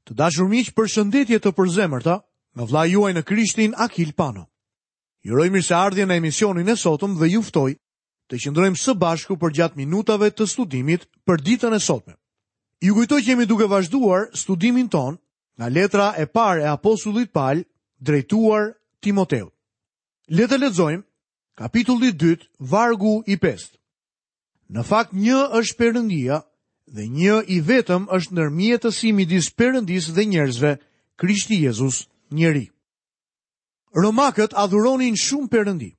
Të dashur miq, përshëndetje të përzemërta nga vëllai juaj në Krishtin Akil Pano. Ju uroj mirëseardhje në emisionin e sotëm dhe ju ftoj të qëndrojmë së bashku përgjatë minutave të studimit për ditën e sotme. Ju kujtoj që jemi duke vazhduar studimin tonë nga letra e parë e apostullit Pal drejtuar Timoteut. Le të lexojmë kapitulli 2, vargu i 5. Në fakt një është Perëndia dhe një i vetëm është ndërmjetësi midis Perëndisë dhe njerëzve, Krishti Jezus, njeri. Romakët adhuronin shumë perëndi.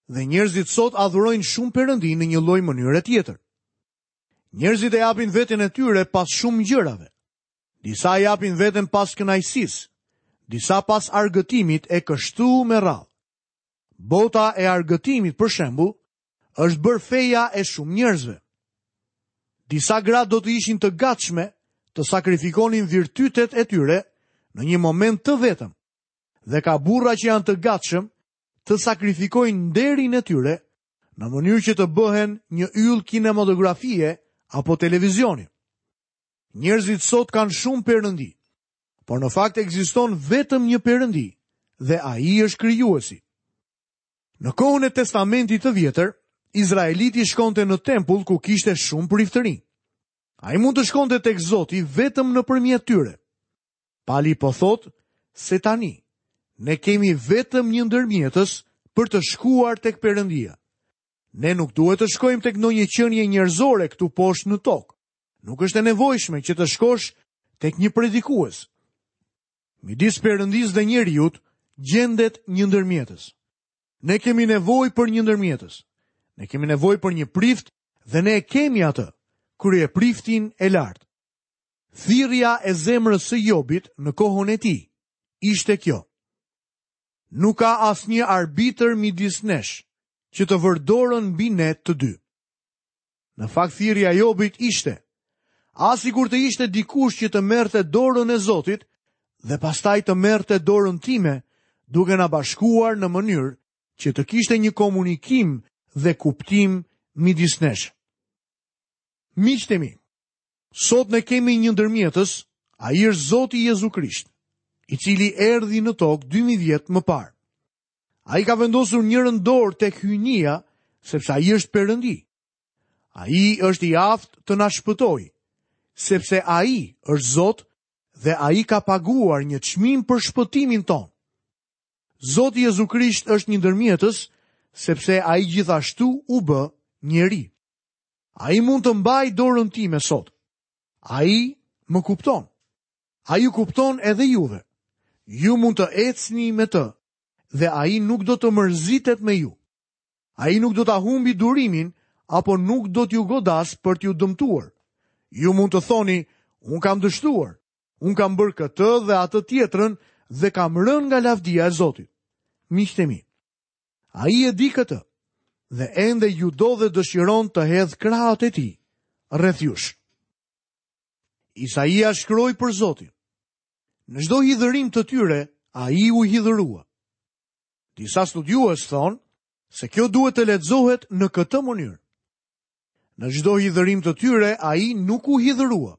Dhe njerëzit sot adhurojnë shumë perëndi në një lloj mënyre tjetër. Njerëzit e japin veten e tyre pas shumë gjërave. Disa e japin veten pas kënaqësisë, disa pas argëtimit e kështu me radhë. Bota e argëtimit, për shembull, është bërë feja e shumë njerëzve. Disa gra do të ishin të gatshme të sakrifikonin virtytet e tyre në një moment të vetëm. Dhe ka burra që janë të gatshëm të sakrifikojnë nderin e tyre në mënyrë që të bëhen një yll kinematografie apo televizioni. Njerëzit sot kanë shumë perëndi, por në fakt ekziston vetëm një perëndi dhe ai është krijuesi. Në kohën e Testamentit të Vjetër, izraeliti shkonte në tempull ku kishte shumë priftërinj. Ai mund të shkonte tek Zoti vetëm nëpërmjet tyre. Pali po thotë se tani ne kemi vetëm një ndërmjetës për të shkuar tek Perëndia. Ne nuk duhet të shkojmë tek ndonjë qenie njerëzore këtu poshtë në tokë. Nuk është e nevojshme që të shkosh tek një predikues. Midis Perëndisë dhe njeriut gjendet një ndërmjetës. Ne kemi nevojë për një ndërmjetës. Ne kemi nevojë për një prift dhe ne e kemi atë, kryepriftin e lartë. Thirrja e zemrës së Jobit në kohën e tij ishte kjo. Nuk ka asnjë arbitër midis nesh që të vërë dorën mbi ne të dy. Në fakt thirrja e Jobit ishte, ah sikur të ishte dikush që të merrte dorën e Zotit dhe pastaj të merrte dorën time, duke na bashkuar në mënyrë që të kishte një komunikim dhe kuptim midis nesh. Miqtë e mi, sot ne kemi një ndërmjetës, ai është Zoti Jezu Krisht, i cili erdhi në tokë 2000 vjet më parë. Ai ka vendosur njërën dorë tek hyjnia, sepse ai është Perëndi. Ai është i aftë të na shpëtojë, sepse ai është Zot dhe ai ka paguar një çmim për shpëtimin tonë. Zoti Jezu Krisht është një ndërmjetës, sepse ai gjithashtu u bë njeri. Ai mund të mbajë dorën time sot. Ai më kupton. Ai ju kupton edhe juve. Ju mund të ecni me të dhe ai nuk do të mërzitet me ju. Ai nuk do ta humbi durimin apo nuk do t'ju godasë për t'ju dëmtuar. Ju mund të thoni, unë kam dështuar, unë kam bërë këtë dhe atë tjetrën dhe kam rënë nga lavdia e Zotit. Miqtë e mi, ai e di këtë dhe ende ju do dhe dëshiron të hedhë krahët e tij rreth jush. Isaia shkroi për Zotin. Në çdo hidhërim të tyre, ai u hidhërua. Disa studiues thonë se kjo duhet të lexohet në këtë mënyrë. Në çdo hidhërim të tyre, ai nuk u hidhërua.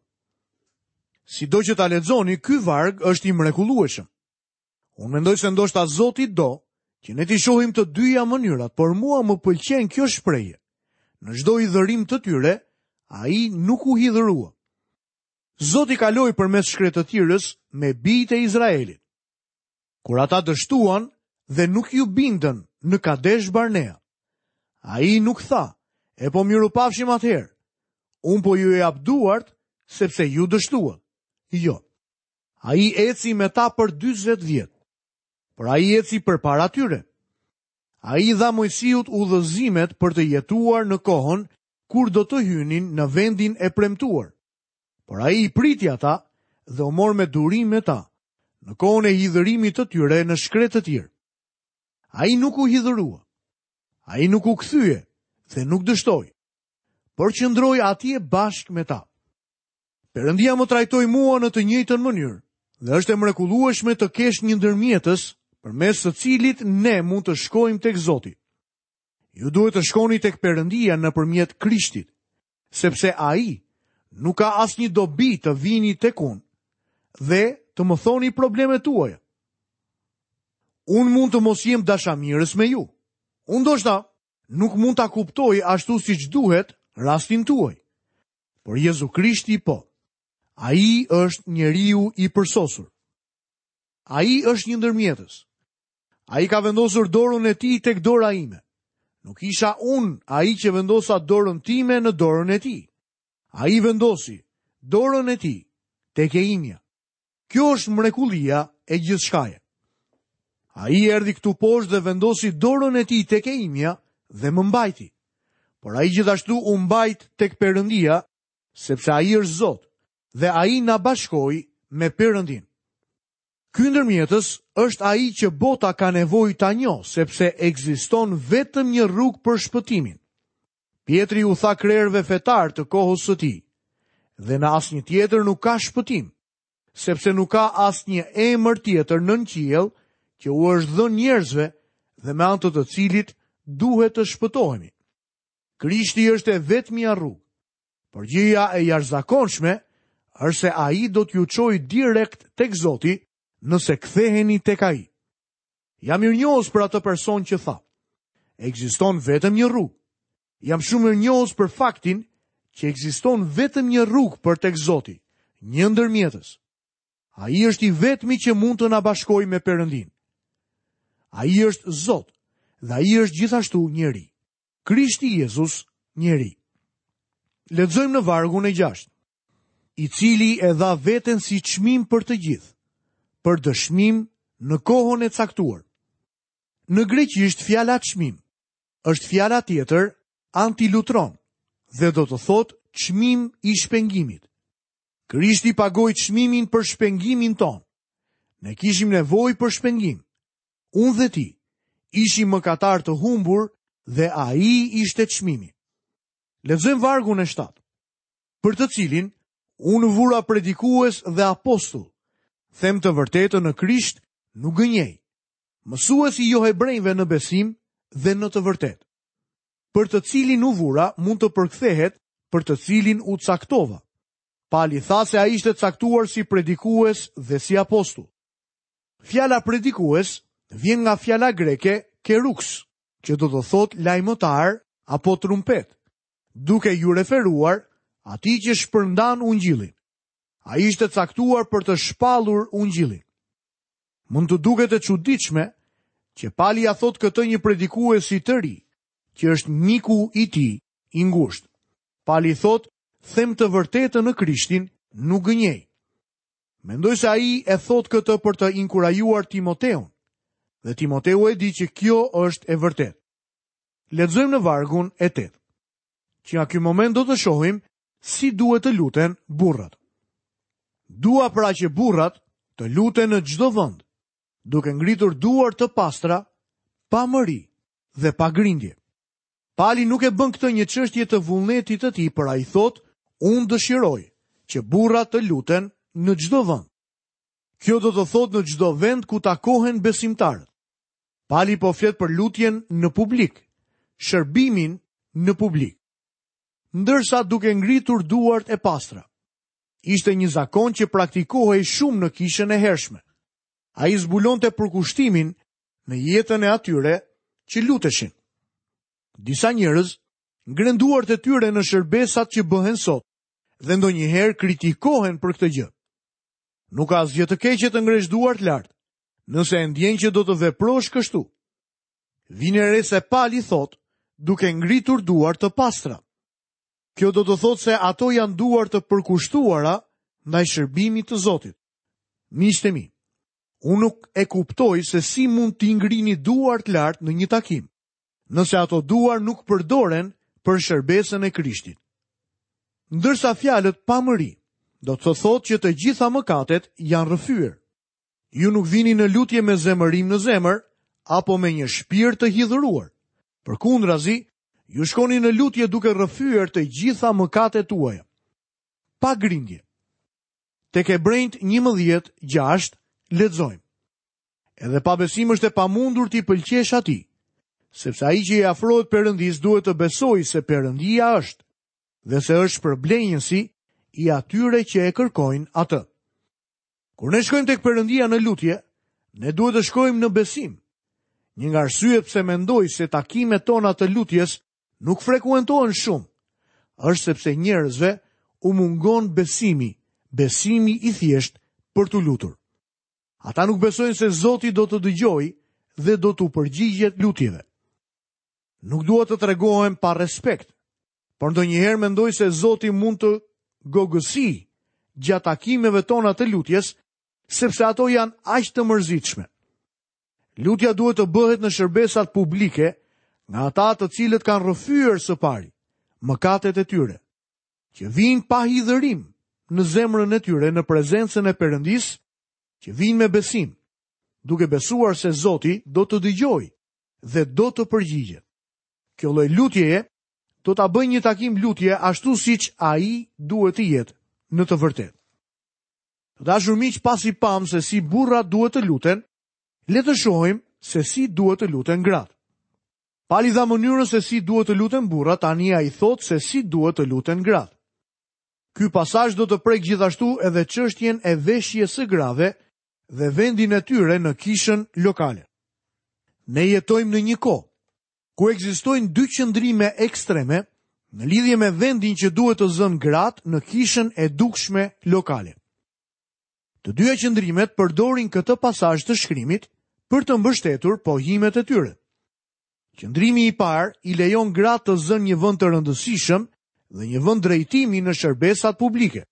Sido që ta lexoni, ky varg është i mrekullueshëm. Unë mendoj se ndoshta Zoti do që ne t'i shohim të dyja mënyrat, por mua më pëlqen kjo shprehje. Në çdo hidhërim të tyre, ai nuk u hidhërua. Zoti kaloi përmes shkretëtirës me bijtë e Izraelit. Kur ata dështuan dhe nuk iu bindën në Kadesh Barnea, ai nuk tha, e po mirupafshim atëherë, unë po ju jap duart sepse ju dështuat. Jo. Ai eci me ta për 40 vjet. Por ai eci përpara tyre. Ai i dha Moisiut udhëzimet për të jetuar në kohën kur do të hynin në vendin e premtuar. Por ai i priti ata dhe u mor me durim me ta, në kohën e hidhërimit të tyre në shkretëtirë. Ai nuk u hidhërua. Ai nuk u kthye dhe nuk dështoi, por qëndroi atje bashkë me ta. Perëndia më trajtoi mua në të njëjtën mënyrë dhe është e mrekullueshme të kesh një ndërmjetës përmes së cilit ne mund të shkojmë tek Zoti. Ju duhet të shkoni tek Perëndia nëpërmjet Krishtit, sepse ai nuk ka asnjë dobi të vini tek unë. dhe të më thoni problemet tuaja. Unë mund të mos jem dashamirës me ju. Unë ndoshta nuk mund ta kuptoj ashtu siç duhet rastin tuaj. Por Jezu Krishti po. Ai është njeriu i përsosur. Ai është një ndërmjetës. Ai ka vendosur dorën e tij tek dora ime. Nuk isha unë ai që vendosa dorën time në dorën e tij. Ai vendosi dorën e tij tek e imja. Kjo është mrekullia e gjithçkaje. Ai erdhi këtu poshtë dhe vendosi dorën e tij tek e imja dhe më mbajti. Por ai gjithashtu u mbajt tek Perëndia, sepse ai është Zot dhe ai na bashkoi me Perëndinë. Ky ndërmjetës është ai që bota ka nevojë ta njohë, sepse ekziston vetëm një rrugë për shpëtimin. Pjetri u tha krerëve fetarë të kohës së tij, dhe në asnjë tjetër nuk ka shpëtim, sepse nuk ka asnjë emër tjetër nën qiell që u është dhënë njerëzve dhe me anë të të cilit duhet të shpëtohemi. Krishti është e vetmja rrugë. Por gjëja e jashtëzakonshme është se ai do t'ju çojë direkt tek Zoti nëse ktheheni tek ai. Jam mirënjohës për atë person që tha. Ekziston vetëm një rrugë. Jam shumë mirënjohës për faktin që ekziston vetëm një rrugë për tek Zoti, një ndërmjetës. Ai është i vetmi që mund të na bashkojë me Perëndinë. Ai është Zot dhe ai është gjithashtu njeri. Krishti Jezus, njeri. Lexojmë në vargun e 6. I cili e dha veten si çmim për të gjithë, për dëshmim në kohën e caktuar. Në greqisht fjala çmim është fjala tjetër antilutron dhe do të thotë çmim i shpengimit. Krishti pagoi çmimin për shpengimin tonë. Ne kishim nevojë për shpengim. Unë dhe ti ishim mëkatarë të humbur dhe ai ishte çmimi. Lexojmë vargun e 7. Për të cilin unë u vura predikues dhe apostull. Them të vërtetën në Krisht, nuk gënjej. Mësues i johebrenjve në besim dhe në të vërtetë. Për të cilin u vura mund të përkthehet për të cilin u caktova. Pali tha se ai ishte caktuar si predikues dhe si apostull. Fjala predikues vjen nga fjala greke keruks, që do të thotë lajmëtar apo trumpetë, duke iu referuar atij që shpërndan ungjillin. Ai ishte caktuar për të shpallur ungjillin. Mund të duket e çuditshme që Pali ia thotë këtë një predikuesi të ri, që është miku i tij i ngushtë. Pali thotë, them të vërtetën në Krishtin, nuk gënjej. Mendoj se ai e thotë këtë për të inkurajuar Timoteun. Dhe Timoteu e di që kjo është e vërtetë. Lexojmë në vargun e 8. Që nga ky moment do të shohim si duhet të luten burrat. Dua pra që burrat të luten në çdo vend, duke ngritur duar të pastra, pa mëri dhe pa grindje. Pali nuk e bën këtë një çështje të vullnetit të tij, por ai thotë, unë dëshiroj që burrat të luten në çdo vend. Kjo do të thotë në çdo vend ku takohen besimtarët. Pali po flet për lutjen në publik, shërbimin në publik. Ndërsa duke ngritur duart e pastra. Ishte një zakon që praktikohej shumë në kishën e hershme. Ai zbulonte përkushtimin në jetën e atyre që luteshin. Disa njerëz ngrenë duart e tyre në shërbesat që bëhen sot dhe ndonjëherë kritikohen për këtë gjë. Nuk ka asgjë të keqe të ngresh duart lart, nëse e ndjen që do të veprosh kështu. Vini re se Pali thotë, duke ngritur duar të pastra. Kjo do të thotë se ato janë duar të përkushtuara ndaj shërbimit të Zotit. Miqtë e mi, Unë nuk e kuptoj se si mund t'i ngrini duart lart në një takim, nëse ato duar nuk përdoren për shërbesën e Krishtit. Ndërsa fjalët pa mëri, do të thotë që të gjitha mëkatet janë rrëfyer. Ju nuk vini në lutje me zemërim në zemër apo me një shpirt të hidhëruar. Përkundrazi, ju shkoni në lutje duke rrëfyer të gjitha mëkatet tuaja. Pa grindje. Tek Hebrenjtë 11, 6, lexojmë. Edhe pa besim është e pamundur t'i pëlqesh atij, sepse ai që i afrohet Perëndisë duhet të besojë se Perëndia është dhe se është shpërblenjësi i atyre që e kërkojnë atë. Kur ne shkojmë tek Perëndia në lutje, ne duhet të shkojmë në besim. Një nga arsyet pse mendoj se takimet tona të lutjes nuk frekuentohen shumë, është sepse njerëzve u mungon besimi, besimi i thjeshtë për t'u lutur. Ata nuk besojnë se Zoti do të dëgjojë dhe do t'u përgjigjet lutjeve. Nuk dua të tregohem pa respekt, por ndonjëherë mendoj se Zoti mund të gogësijë gjatë takimeve tona të lutjes, sepse ato janë aq të mërzitshme. Lutja duhet të bëhet në shërbesat publike nga ata të cilët kanë rrëfyer së pari mëkatet e tyre, që vijnë pa hidhërim në zemrën e tyre në prezencën e Perëndisë, që vijnë me besim, duke besuar se Zoti do të dëgjojë dhe do të përgjigjet. Kjo lloj lutjeje do ta bëjë një takim lutje ashtu siç ai duhet të jetë në të vërtetë. Të dashur miq, pasi pamë se si burrat duhet të luten, le të shohim se si duhet të luten gratë. Pali dha mënyrën se si duhet të luten burrat, tani ai thotë se si duhet të luten gratë. Ky pasazh do të prekë gjithashtu edhe çështjen e veshjes së grave dhe vendin e tyre në kishën lokale. Ne jetojmë në një kohë ku ekzistojnë dy qëndrime ekstreme në lidhje me vendin që duhet të zënë gratë në kishën e dukshme lokale. Të dyja qëndrimet përdorin këtë pasazh të shkrimit për të mbështetur pohimet e tyre. Qëndrimi i parë i lejon gratë të zënë një vend të rëndësishëm dhe një vend drejtimi në shërbesat publike.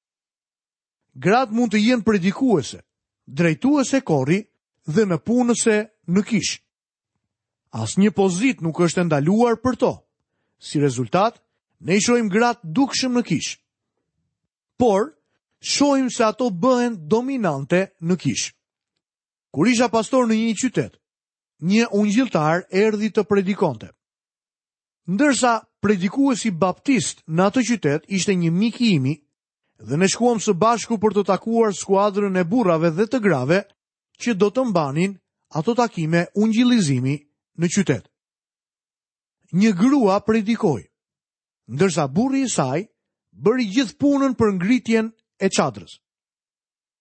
Gratë mund të jenë predikuese, drejtuese kori dhe nëpunëse në kishë. Asnjë pozitë nuk është e ndaluar për to. Si rezultat, ne i shohim gratë dukshëm në kishë. Por, shohim se ato bëhen dominante në kishë. Kur isha pastor në një qytet, një ungjilltar erdhi të predikonte. Ndërsa predikuesi baptist në atë qytet ishte një mik i imi dhe ne shkuam së bashku për të takuar skuadrën e burrave dhe të grave që do të mbanin ato takime ungjillizimi në qytet. Një grua predikoi, ndërsa burri i saj bëri gjithë punën për ngritjen e çadrës.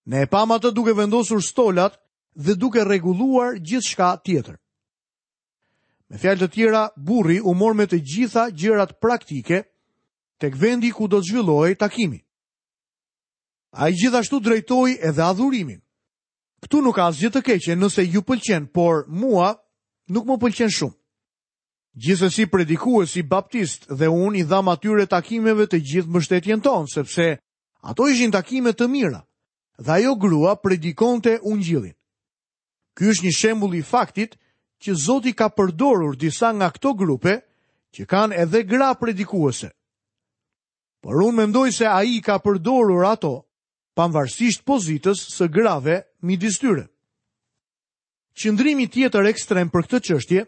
Ne e pamë atë duke vendosur stolat dhe duke rregulluar gjithçka tjetër. Me fjalë të tjera, burri u mor me të gjitha gjërat praktike tek vendi ku do të zhvillohej takimi. Ai gjithashtu drejtoi edhe adhurimin. Këtu nuk ka asgjë të keqe nëse ju pëlqen, por mua nuk më pëlqen shumë. Gjithsesi predikuesi baptist dhe unë i dhamë atyre takimeve të gjithë mbështetjen tonë, sepse ato ishin takime të mira dhe ajo grua predikonte ungjillin. Ky është një shembull i faktit që Zoti ka përdorur disa nga këto grupe që kanë edhe gra predikuese. Por unë mendoj se ai i ka përdorur ato, pavarësisht pozitës së grave midis tyre. Qëndrimi tjetër ekstrem për këtë çështje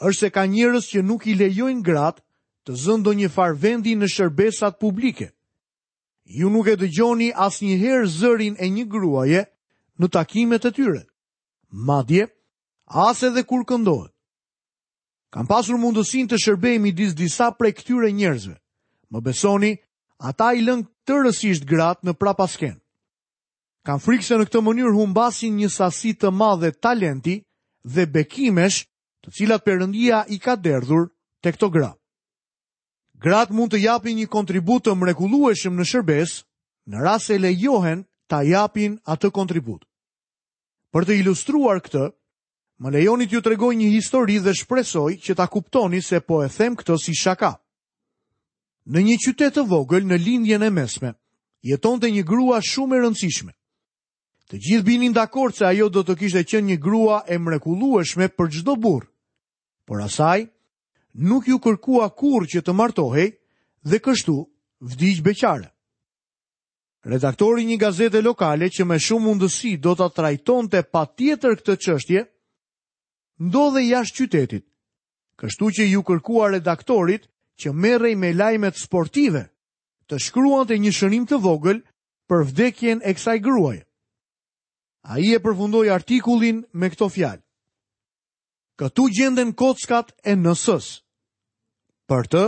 është se ka njerëz që nuk i lejojnë gratë të zënë ndonjë farë vendi në shërbesat publike. Ju nuk e dëgjoni asnjëherë zërin e një gruaje në takimet e tyre. Madje, as edhe kur këndohet. Kam pasur mundësinë të shërbej midis disa prej këtyre njerëzve. Më besoni, ata i lënë tërësisht gratë në prapaskenë. Kam frikë se në këtë mënyrë humbasin një sasi të madhe talenti dhe bekimesh të cilat Perëndia i ka derdhur te këto gra. Gratë mund të japin një kontribut të mrekullueshëm në shërbesë, në rast se lejohen ta japin atë kontribut. Për të ilustruar këtë, Më lejoni t'ju tregoj një histori dhe shpresoj që ta kuptoni se po e them këtë si shaka. Në një qytet të vogël në Lindjen e Mesme, jetonte një grua shumë e rëndësishme. Të gjithë binin dakord se ajo do të kishte qenë një grua e mrekullueshme për çdo burrë. Por asaj nuk iu kërkua kurrë që të martohej dhe kështu vdiq beqare. Redaktori i një gazete lokale që me shumë mundësi do ta trajtonte patjetër këtë çështje, ndodhej jashtë qytetit. Kështu që iu kërkua redaktorit që merrej me lajmet sportive, të shkruante një shënim të vogël për vdekjen e kësaj gruaje. Ai e përfundoi artikullin me këto fjalë. Këtu gjenden kockat e NS-së. Për të,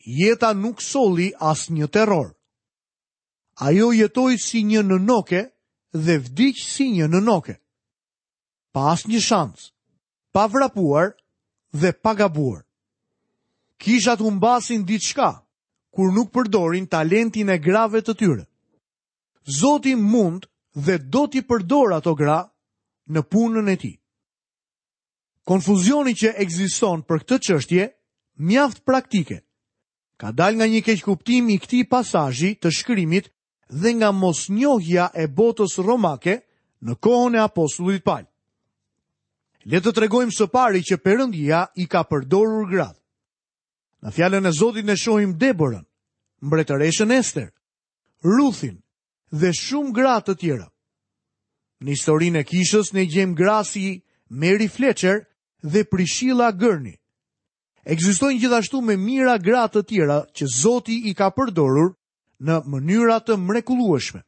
jeta nuk solli asnjë terror. Ajo jetoi si një nënoke dhe vdiq si një në noke. Pa asnjë shans, pa vrapuar dhe pa gabuar. Kishat humbasin diçka kur nuk përdorin talentin e grave të tyre. Zoti mund dhe do t'i përdorë ato gra në punën e tij. Konfuzioni që ekziston për këtë çështje mjaft praktike ka dalë nga një keqkuptim i këtij pasazhi të shkrimit dhe nga mosnjohja e botës romake në kohën e apostullit Pal. Le të tregojmë së pari që Perëndia i ka përdorur gratë. Në fjalën e Zotit ne shohim Deborën, mbretëreshën Ester, Ruthin dhe shumë gra të tjera. Në historinë e kishës ne gjejmë gra si Mary Fletcher dhe Priscilla Gurney. Ekzistojnë gjithashtu me mijëra gra të tjera që Zoti i ka përdorur në mënyra të mrekullueshme.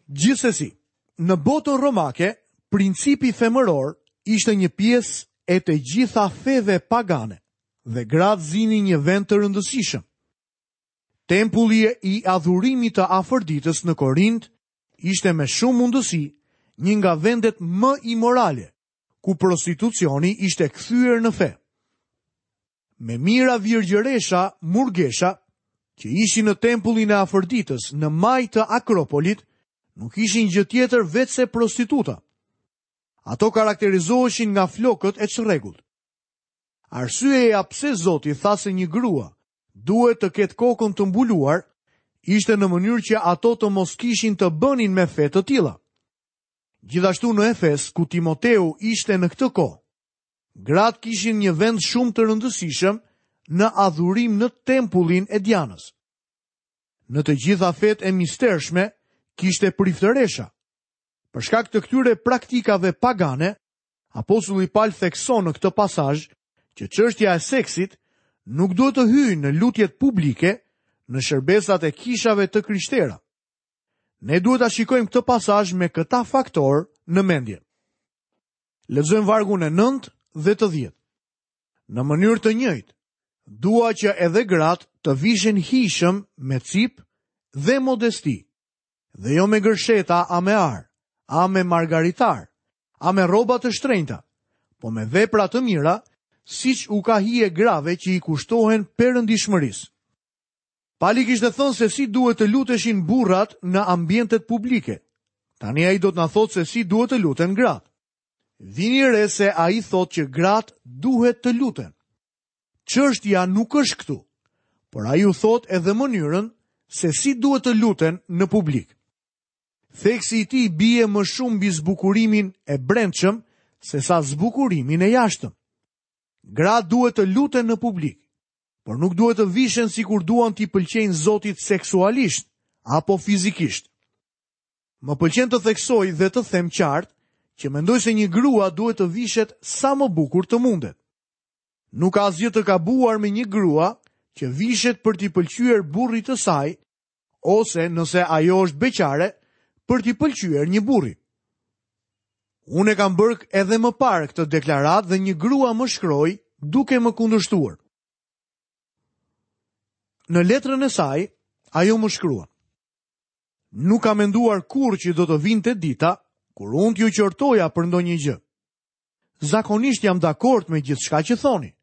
Gjithsesi, në botën romake, principi femëror ishte një pjesë e të gjitha feve pagane dhe gratë zinin një vend të rëndësishëm. Tempulli i adhurimit të Afërditës në Korint ishte me shumë mundësi një nga vendet më imorale, ku prostitucioni ishte kthyer në fe. Me mijëra virgjëresha, murgesha, që ishin në tempullin e Afërditës në majë të Akropolit, nuk ishin gjë tjetër veçse prostituta. Ato karakterizoheshin nga flokët e çrregullt. Arsyeja pse Zoti tha se një grua duhet të ketë kokën të mbuluar ishte në mënyrë që ato të mos kishin të bënin me fe të tilla. Gjithashtu në Efes, ku Timoteu ishte në këtë kohë, gratë kishin një vend shumë të rëndësishëm në adhurim në tempullin e Dianës. Në të gjitha fetë e mistershme kishte priftëresha. Për shkak të këtyre praktikave pagane, apostulli Pal thekson në këtë pasazh që çështja e seksit nuk duhet të hyjë në lutjet publike në shërbesat e kishave të krishtera. Ne duhet ta shikojmë këtë pasazh me këta faktorë në mendje. Lexojmë vargun e 9 dhe të 10. Në mënyrë të njëjtë, dua që edhe gratë të vishen hijshëm me cipë dhe modesti, dhe jo me gërsheta a me ar, a me margaritarë, a me rroba të shtrenjta, po me vepra të mira, siç u ka hije grave që i kushtohen perëndishmërisë. Pali kishte thënë se si duhet të luteshin burrat në ambientet publike. Tani ai do të na thotë se si duhet të luten gratë. Vini re se ai thotë që gratë duhet të luten. Çështja nuk është këtu, por ai u thotë edhe mënyrën se si duhet të luten në publik. Theksi i tij bie më shumë mbi zbukurimin e brendshëm sesa zbukurimin e jashtëm. Gratë duhet të luten në publik. por nuk duhet të vishen sikur duan t'i pëlqejnë Zotit seksualisht apo fizikisht. Më pëlqen të theksoj dhe të them qartë që mendoj se një grua duhet të vishet sa më bukur të mundet. Nuk ka asgjë të gabuar me një grua që vishet për t'i pëlqyer burrit të saj ose nëse ajo është beqare për t'i pëlqyer një burri. Unë e kam bërë edhe më parë këtë deklaratë dhe një grua më shkroi duke më kundërshtuar. Në letrën e saj, ajo më shkruan. Nuk kam menduar kurrë që do të vinte dita kur unë t'ju qortoja për ndonjë gjë. Zakonisht jam dakord me gjithçka që thoni.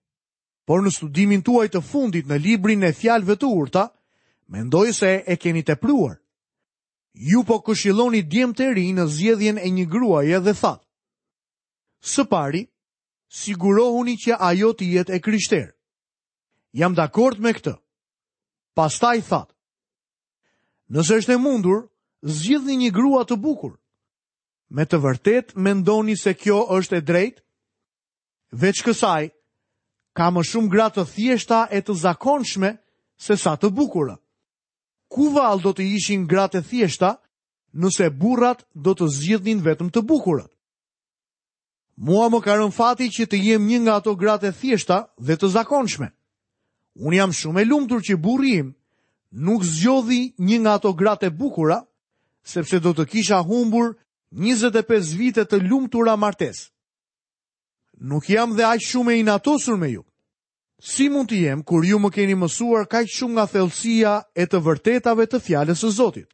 Por në studimin tuaj të fundit në librin e fjalëve të urta, mendoj se e keni tepruar. Ju po këshilloni djemtë e rinj në zgjedhjen e një gruaje dhe thatë. Së pari, sigurohuni që ajo të jetë e krishterë. Jam dakord me këtë. Pastaj thatë. Nëse është e mundur, zgjidhni një grua të bukur. Me të vërtetë mendoni se kjo është e drejtë? Veç kësaj, ka më shumë gra të thjeshta e të zakonshme sesa të bukura. Ku vallë do të ishin gratë e thjeshta nëse burrat do të zgjidhnin vetëm të bukurat? Mua më ka rënë fati që të jem një nga ato gratë e thjeshta dhe të zakonshme. Unë jam shumë e lumtur që burri im nuk zgjodhi një nga ato gratë e bukura, sepse do të kisha humbur 25 vite të lumtura martesë. Nuk jam dhe aq shumë e inatosur me ju. Si mund të jem kur ju më keni mësuar kaq shumë nga thellësia e të vërtetave të fjalës së Zotit?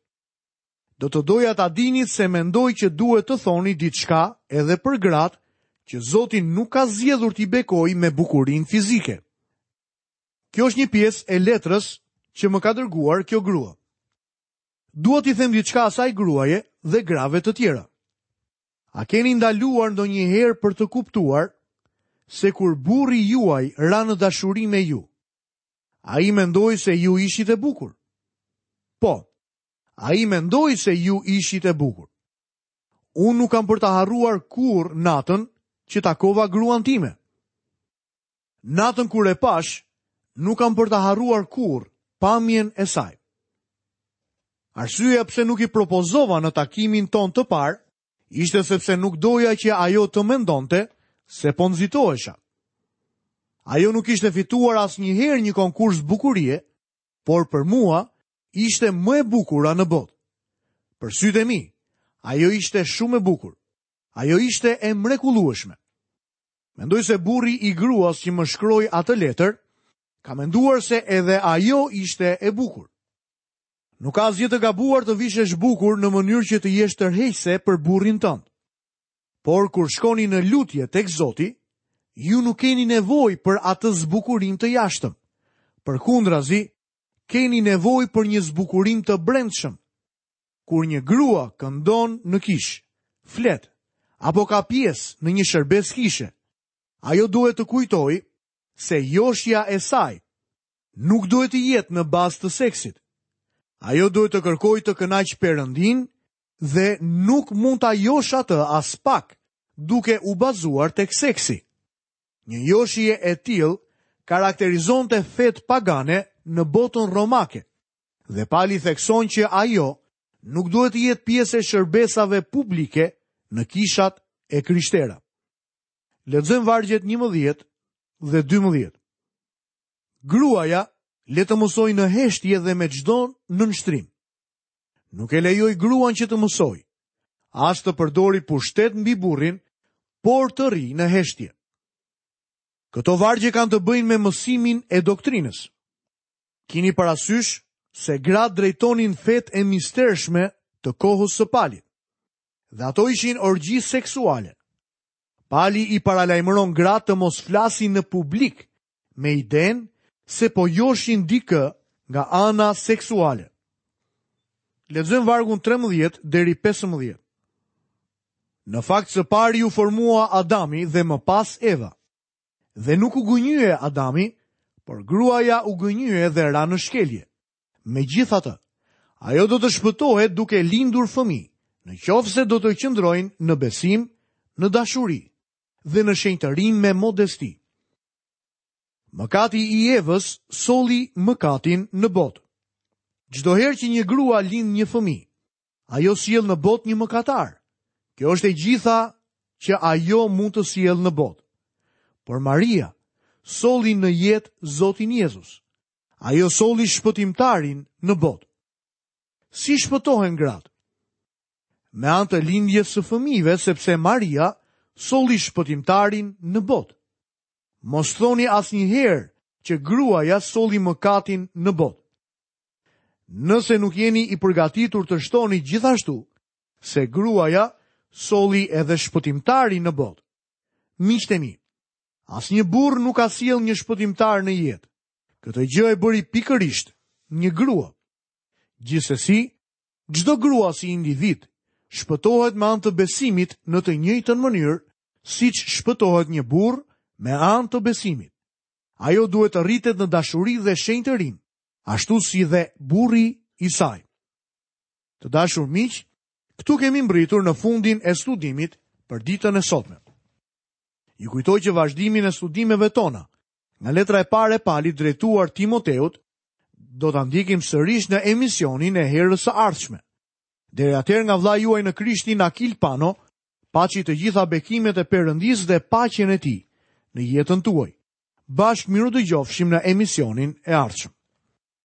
Do të doja ta dinit se mendoj që duhet të thoni diçka edhe për gratë që Zoti nuk ka zgjedhur t'i bekojë me bukurinë fizike. Kjo është një pjesë e letrës që më ka dërguar kjo grua. Dua t'i them diçka asaj gruaje dhe grave të tjera. A keni ndaluar ndonjëherë për të kuptuar se kur burri juaj ra në dashuri me ju, ai mendoi se ju ishit e bukur? Po, ai mendoi se ju ishit e bukur. Unë nuk kam për ta harruar kurrë natën që takova gruan time. Natën kur e pashë, nuk kam për ta harruar kurrë pamjen e saj. Arsyeja pse nuk i propozova në takimin tonë të parë ishte sepse nuk doja që ajo të mendonte se po nxitohesha. Ajo nuk kishte fituar asnjëherë një konkurs bukurie, por për mua ishte më e bukura në botë. Për sytë e mi, ajo ishte shumë e bukur. Ajo ishte e mrekullueshme. Mendoj se burri i gruas që më shkroi atë letër, ka menduar se edhe ajo ishte e bukur. Nuk ka asgjë të gabuar të vishesh bukur në mënyrë që të jesh tërheqëse për burrin tënd. Por kur shkoni në lutje tek Zoti, ju nuk keni nevojë për atë zbukurim të jashtëm. Përkundrazi, keni nevojë për një zbukurim të brendshëm. Kur një grua këndon në kishë, flet apo ka pjesë në një shërbesë kishe, ajo duhet të kujtojë se joshja e saj nuk duhet të jetë në bazë të seksit. Ajo duhet të kërkojë të kënaqë Perëndinë dhe nuk mund ta joshë atë aspak duke u bazuar tek seksi. Një joshje e tillë karakterizonte fetë pagane në botën romake dhe Pali thekson që ajo nuk duhet të jetë pjesë e shërbesave publike në kishat e krishtera. Lexojmë vargjet 11 dhe 12. Gruaja le të mësojë në heshtje dhe me çdo nënshtrim. Nuk e lejoj gruan që të mësojë, as të përdorë pushtet mbi burrin, por të rrijë në heshtje. Këto vargje kanë të bëjnë me mësimin e doktrinës. Kini parasysh se gratë drejtonin fetë e mistershme të kohës së Palit. Dhe ato ishin orgji seksuale. Pali i paralajmëron gratë të mos flasin në publik me idenë se po joshin dikë nga ana seksuale. Lexojmë vargun 13 deri 15. Në fakt së pari u formua Adami dhe më pas Eva. Dhe nuk u gënjye Adami, por gruaja u gënjye dhe ra në shkelje. Megjithatë, ajo do të shpëtohet duke lindur fëmijë, në qoftë se do të qëndrojnë në besim, në dashuri dhe në shenjtërim me modesti. Mëkati i Evës solli mëkatin në botë. Çdo herë që një grua lind një fëmijë, ajo sjell në botë një mëkatar. Kjo është e gjitha që ajo mund të sjellë në botë. Por Maria solli në jetë Zotin Jezus. Ajo solli shpëtimtarin në botë. Si shpëtohen gratë? Me anë të lindjes së fëmijëve, sepse Maria solli shpëtimtarin në botë. Mos thoni asnjëherë që gruaja solli mëkatin në botë. Nëse nuk jeni i përgatitur të shtoni gjithashtu se gruaja solli edhe shpëtimtarin në botë. Miqtë e mi, asnjë burrë nuk ka sjellë një shpëtimtar në jetë. Këtë gjë e bëri pikërisht një grua. Gjithsesi, çdo grua si individ shpëtohet me anë të besimit në të njëjtën mënyrë siç shpëtohet një burrë me anë të besimit. Ajo duhet të rritet në dashuri dhe shenjtërim, ashtu si dhe burri i saj. Të dashur miq, këtu kemi mbërritur në fundin e studimit për ditën e sotme. Ju kujtoj që vazhdimin e studimeve tona, nga letra e parë e Palit drejtuar Timoteut, do ta ndjekim sërish në emisionin e herës së ardhshme. Deri atëherë nga vëllai juaj në Krishtin Akil Pano, paçi të gjitha bekimet e Perëndisë dhe paqen e tij në jetën tuaj. Bashkë mirudëgjofshim në emisionin e ardhshëm.